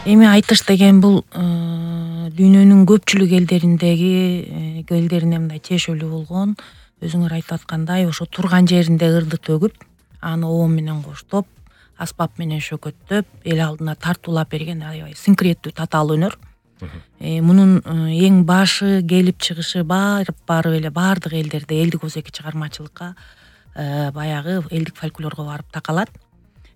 Эми айтыш деген бул дүйнөнүн көпчүлүк элдерине мындай тиешелүү болгон, өзүңөр айтып аткандай ошо турган жеринде ырды төгүп, аны оом менен коштоп, аспап менен шөкөттөп, эл алдына тартуулап берген аябай синкреттүү татаал өнөр. Мунун эң башы келип чыгышы баары эле баардык элдерде элдик озеки чыгармачылыкка баягы элдик фольклорго барып такалат.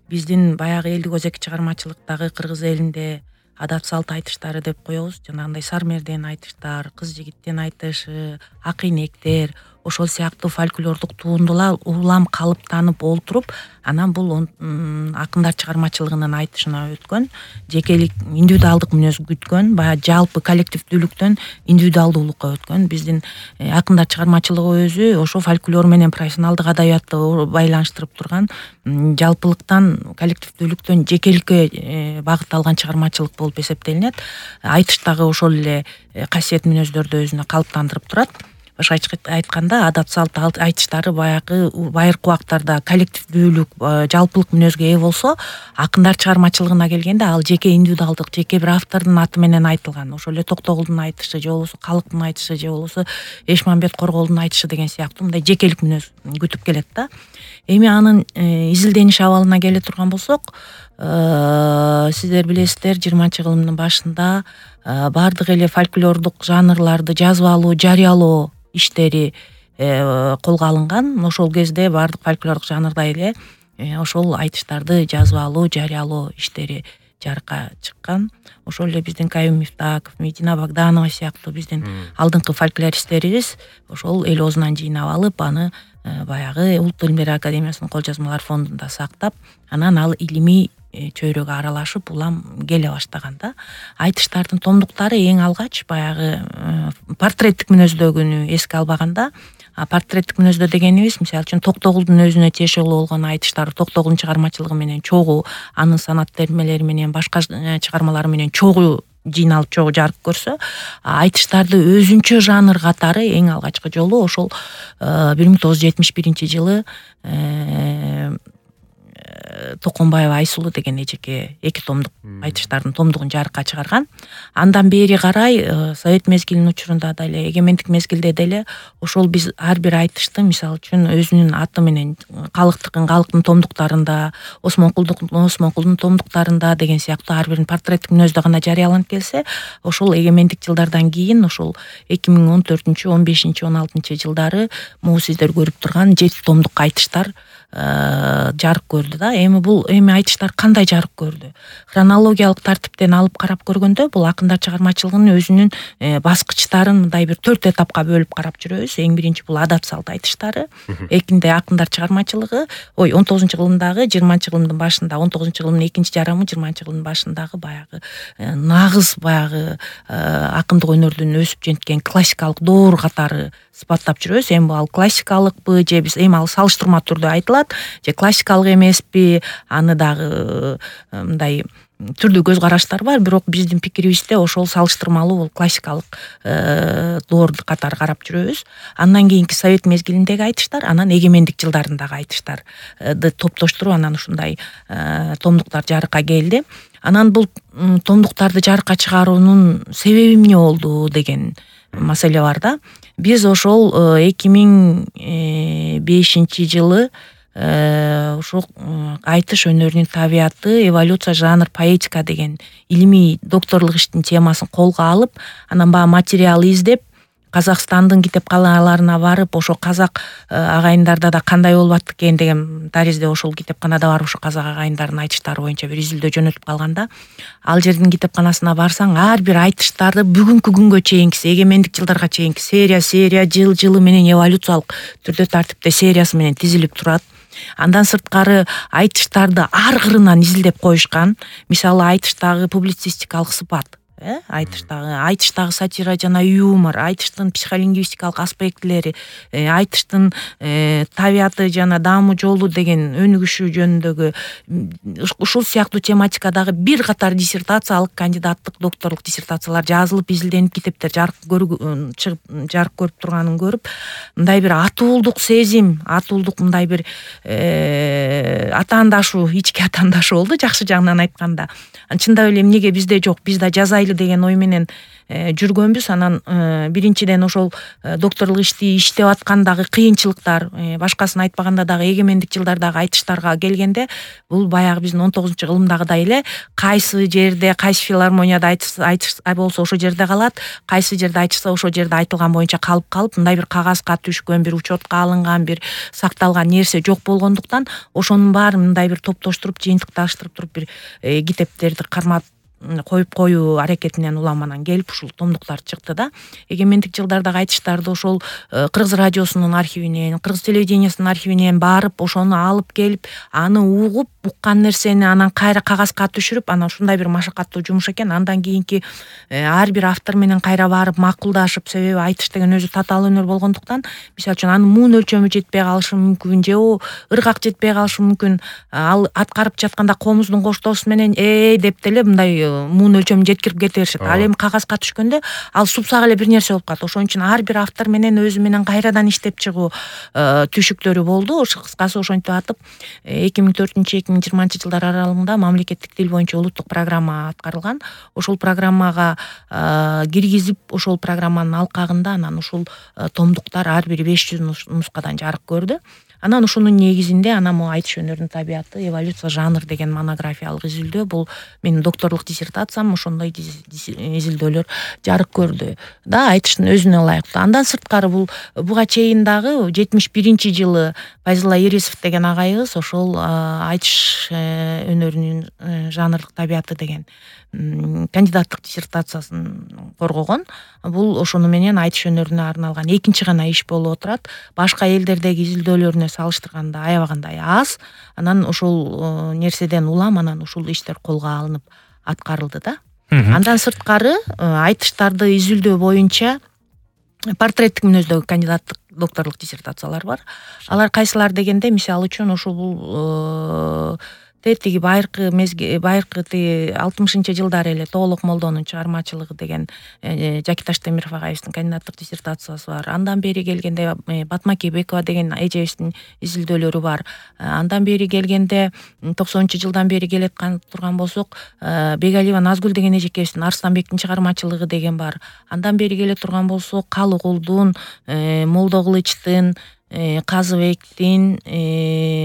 Биздин баягы элдик озеки чыгармачылыктагы кыргыз элинде адат салт айтыштары деп коебуз. Жанагындай сармерден айтыштар, кыз жигиттен айтышы, ак энектер, ошол сыяктуу фольклордук туындулар улам калыптанып олтуруп, анан бул акындар чыгармачылыгынын айтышына өткөн, жекелик индивидуалдык мүнөз күткөн, баягы жалпы коллективдүүлүктөн индивидуалдуулукка өткөн. Биздин акындар чыгармачылыгы өзү ошо фольклор менен профессионалдык адабиятты байланыштырып турган, жалпылыктан коллективдүүлүктөн жекеликке багытталган чыгармачылык болуп эсептелинет. Айтыш дагы ошол эле касиет мүнөздөрдү өзүнө калыптандырып турат. Башкача айтканда, адат салт айтыштары баягы байыркы убактарда коллективдүүлүк, жалпылык мүнөзгө ээ болсо, акындар чыгармачылыгына келгенде ал жеке индивидуалдык, жеке бир автордун аты менен айтылган. Ошол эле Токтогулдун айтышы, же болбосо Калыктын айтышы, же болбосо Эшмамбет Корголдун айтышы деген сыяктуу мындай жекелик мүнөз күтүп келет да. Эми анын изилдениш абалына келе турган болсок, сиздер билесиздер, 20-кылымдын башында баардык эле фольклордук жанрларды жазбалоо, жарыялоо иштери колго алынган. Ошол кезде баардык фольклордук жанрда эле ошол айтыштарды жазбалоо, жарыялоо иштери жарыкка чыккан. Ошол эле биздин Каюм Мифтаков, Медина Богданова сыяктуу биздин алдыңкы фольклористтерибиз ошол эл оозунан жыйнап алып, аны баягы Улуттук илимдер академиясынын кол жазмалар фондунда сактап, анан ал илимий чөйрөгө аралашып улам келе баштаган да. Айтыштардын томдуктары эң алгач баягы портреттик мүнөздөгүнү эске албаганда, портреттик мүнөздө дегенибиз, мисалы үчүн Токтогулдун өзүнө тиешелүү болгон айтыштар, Токтогулдун чыгармачылыгы менен чогуу, анын санат термелери менен, башка чыгармалары менен чогуу жыйналып, чогуу жарык көрсө, айтыштарды өзүнчө жанр катары эң алгачкы жолу ошол 1971-жылы Токонбаева Айсулуу деген эжеке 2 томдук айтыштардын томдугун жарыкка чыгарган. Андан бери карай Совет мезгилинин учурунда деле, эгемендик мезгилде деле ошол биз ар бир айтышты, мисалы үчүн өзүнүн аты менен калыктын томдуктарында, Осмонкулдун томдуктарында деген сыяктуу ар бирин портреттик мүнөздө гана жарыяланып келсе, ошол эгемендик жылдардан кийин, ошол 2014-15-16 жылдары могу сиздер көрүп турган 7 томдук айтыштар жарык көрдү да. Эми айтыштар кандай жарык көрдү? Хронологиялык тартиптен алып карап көргөндө, бул акындар чыгармачылыгынын өзүнүн баскычтарын мындай бир 4 этапка бөлүп карап жүрөбүз. Эң биринчи бул адат салт айтыштары, экинде акындар чыгармачылыгы, 19-кылымдагы, 20-кылымдын башында, 19-кылымдын экинчи жарымы, 20-кылымдын башындагы баягы нагыз баягы акындык өнөрдүн өсүп жеткен классикалык доор катары сыпаттап жүрөбүз. Эми ал классикалыкпы, же биз эми ал салыштырма түрдө айтылат, же классикалык эмеспи, аны дагы мындай түрдүү көз караштар бар, бирок биздин пикирибизде ошол салыштырмалуу, бул классикалык доор катары карап жүрөбүз. Андан кийинки Совет мезгилиндеги айтыштар, анан эгемендик жылдарындагы айтыштарды топтоштуруп, анан ушундай томдуктар жарыкка келди. Анан бул томдуктарды жарыкка чыгаруунун себеби эмне болду деген маселе бар да. Биз ошол 2005-жылы ошол айтыш өнөрүнүн табияты, эволюция, жанр, поэтика деген илимий докторлук иштин темасын колго алып, анан баягы материал издеп, Казакстандын китепканаларына барып, ошо казак агайындарда да кандай болуп аттык экен деген таризде ошол китепканада барып, ошо казак агайындардын айтыштары боюнча бир изилдөө жөнөтүп калганда, ал жердин китепканасына барсаң, ар бир айтыштарды бүгүнкү күнгө чейинкиси, эгемендик жылдарга чейинки серия, жылы менен эволюциялык түрдө тартипте сериясы менен тизилип турат. Андан сырткары айтыштарды ар кырынан изилдеп коюшкан. Мисалы, айтыштагы публицистикалык сыпат, айтыштагы сатира жана юмор, айтыштын психолингвистикалык аспектилери, айтыштын табияты жана даамы жолу деген өнүгүшү жөнүндөгү ушул сыяктуу тематикадагы бир катар диссертациялык, кандидаттык, докторлук диссертациялар жазылып, изилденип, китептер жарык көрүп турганын көрүп, мындай бир атуулдук сезим, мындай бир атаандашуу, ички атаандашуу болду, жакшы жагынан айтканда. Чындап эле эмнеге бизде жок, биз да жазайлы деген ой менен жүргөнбүз. Анан биринчиден ошол докторлук ишти иштеп аткандагы кыйынчылыктар, башкасын айтпаганда дагы эгемендик жылдардагы айтыштарга келгенде, бул баягы биздин 19 кылымдагыдай эле кайсы жерде, кайсы филармонияда айтыш болсо ошол жерде калат, кайсы жерде айтышса ошол жерде айтылган боюнча калып, мындай бир кагазга түшкөн, бир учетко алынган, бир сакталган нерсе жок болгондуктан, ошонун баарын мындай бир топтоштуруп, жыйынтыкташтырып туруп бир китептерди кармап коюп коюу аракетинен улам анан келип ушул томдуктар чыкты да. Эгемендик жылдардагы айтыштарды ошол Кыргыз радиосунун архивинен, Кыргыз телевидениясынын архивинен барып, ошону алып келип, аны угуп, уккан нерсени анан кайра кагазга түшүрүп, анан ушундай бир машакаттуу жумуш экен. Андан кийинки ар бир автор менен кайра барып макулдашып, себеби айтыш деген өзү татаал өнөр болгондуктан, мисалы үчүн анын муун өлчөмү жетпей калышы мүмкүн, же ыргак жетпей калышы мүмкүн. Ал аткарып жатканда комуздун коштоосу менен деп деле мындай муун өлчөмүн жеткирип кете беришет. Ал эми кагазга түшкөндө ал супсак эле бир нерсе болуп калат. Ошон үчүн ар бир автор менен өзү менен кайрадан иштеп чыгуу түйшүктөрү болду. Кыскасы ошентип атып 2004-2020 жылдар аралыгында мамлекеттик тил боюнча улуттук программа аткарылган. Ошол программага киргизип, ошол программанын алкагында анан ушул томдуктар ар бири 500 нускадан жарык көрдү. Анан ушунун негизинде могу айтыш өнөрүнүн табияты, эволюция, жанр деген монографиялык изилдөө, бул менин докторлук диссертациям, ошондой изилдөөлөр жарык көрдү да, айтыштын өзүнө ылайыктуу. Андан сырткары буга чейин дагы 71-жылы Файзулла Ирисов деген агайыбыз ошол айтыш өнөрүнүн жанрлык табияты деген кандидаттык диссертациясын коргогон. Бул ошону менен айтыш өнөрүнө арналган экинчи гана иш болуп отурат. Башка элдердеги изилдөөлөрүнө салыштырганда аябагандай аз. Анан ошол нерседен улам анан ушул иштер колго алынып аткарылды да. Андан сырткары айтыштарды изилдөө боюнча портреттик мүнөздөгү кандидаттык, докторлук диссертациялар бар. Алар кайсылар дегенде, мисалы үчүн ушул тетиги байыркы 60-жылдары эле Тоолок Молдонун чыгармачылыгы деген Жакиташ Темиров агайыбыздын кандидаттык диссертациясы бар. Андан бери келгенде Батма Кебекова деген эжебиздин изилдөөлөрү бар. Андан бери келгенде 90-жылдан бери келаткан турган болсок, Бегалиева Назгүл деген эжекебиздин Арстанбектин чыгармачылыгы деген бар. Андан бери келе турган болсок, Калыгулдун, Молдокулычтын, Казыбектин,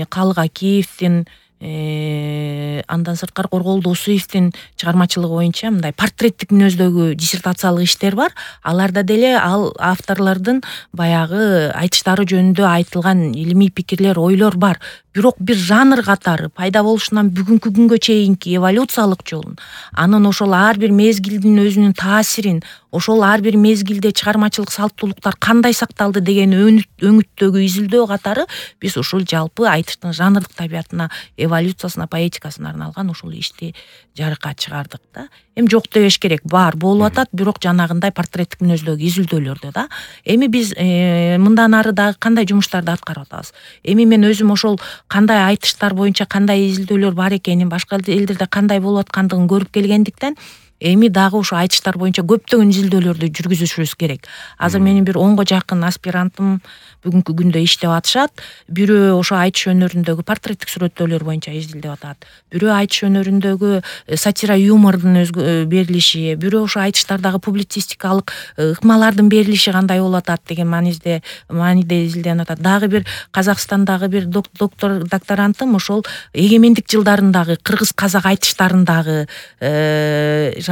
Калык Акиевдин, андан сырткары Коргол Досуевдин чыгармачылыгы боюнча мындай портреттик мүнөздөгү диссертациялык иштер бар. Аларда деле ал авторлордун баягы айтыштары жөнүндө айтылган илимий пикирлер, ойлор бар. Бирок бир жанр катары пайда болушунан бүгүнкү күнгө чейинки эволюциялык жолун, анын ошол ар бир мезгилдин өзүнүн таасирин, ошол ар бир мезгилде чыгармачылык салттуулуктар кандай сакталды деген өңүттөгү изилдөө катары биз ушул жалпы айтыштын жанрлык табиятына, эволюциясына, поэтикасына арналган ушул ишти жарыкка чыгардык да. Эми жок дебеш керек, бар болуп атат, бирок жанагындай портреттик мүнөздөгү изилдөөлөрдө да. Эми биз мындан ары дагы кандай жумуштарды аткарып атабыз? Эми мен өзүм ошол кандай айтыштар боюнча кандай изилдөөлөр бар экенин, башка элдерде кандай болуп аткандыгын көрүп келгендиктен, эми дагы ушу айтыштар боюнча көптөгөн изилдөөлөрдү жүргүзүшүбүз керек. Азыр менин бир 10го жакын аспирантым бүгүнкү күндө иштеп атышат. Бирөө ошо айтыш өнөрүндөгү портреттик сүрөттөөлөр боюнча изилдеп атат. Бирөө айтыш өнөрүндөгү сатира, юмордун берилиши, бирөө ошо айтыштардагы публицистикалык ыкмалардын берилиши кандай болуп атат деген мааниде изилденип атат. Дагы бир Казакстандагы бир докторантым ошол эгемендик жылдарындагы кыргыз-казак айтыштарындагы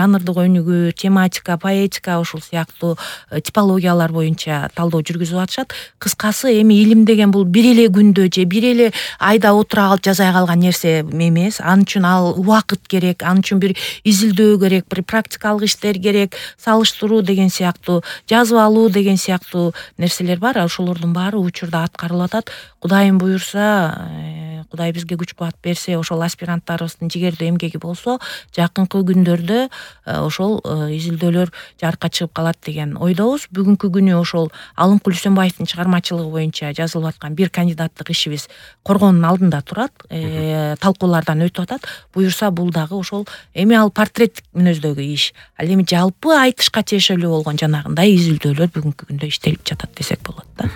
жанрдык өнүгүү, тематика, поэтика, ушул сыяктуу типологиялар боюнча талдоо жүргүзүп атышат. Кыскасы, эми илим деген бул бир эле күндө же бир эле айда отура калып жазай калган нерсе эмес. Ал үчүн убакыт керек, ал үчүн бир изилдөө керек, бир практикалык иштер керек, салыштыруу деген сыяктуу, жазып алуу деген сыяктуу нерселер бар. Ошолордун баары учурда аткарылып атат. Кудайым буюрса, Кудай бизге күч кубат берсе, ошол аспиранттарыбыздын жигердүү эмгеги болсо, жакынкы күндөрдө ошол изилдөөлөр жарыкка чыгып калат деген ойдобуз. Бүгүнкү күнү ошол Алымкул Үсөнбаевдин чыгармачылыгы боюнча жазылып аткан бир кандидаттык ишибиз коргоонун алдында турат, талкуулардан өтүп атат. Буюрса бул дагы ошол эми ал портреттик мүнөздөгү иш. Ал эми жалпы айтышка тиешелүү болгон жанагындай изилдөөлөр бүгүнкү күндө иштелип жатат десек болот да.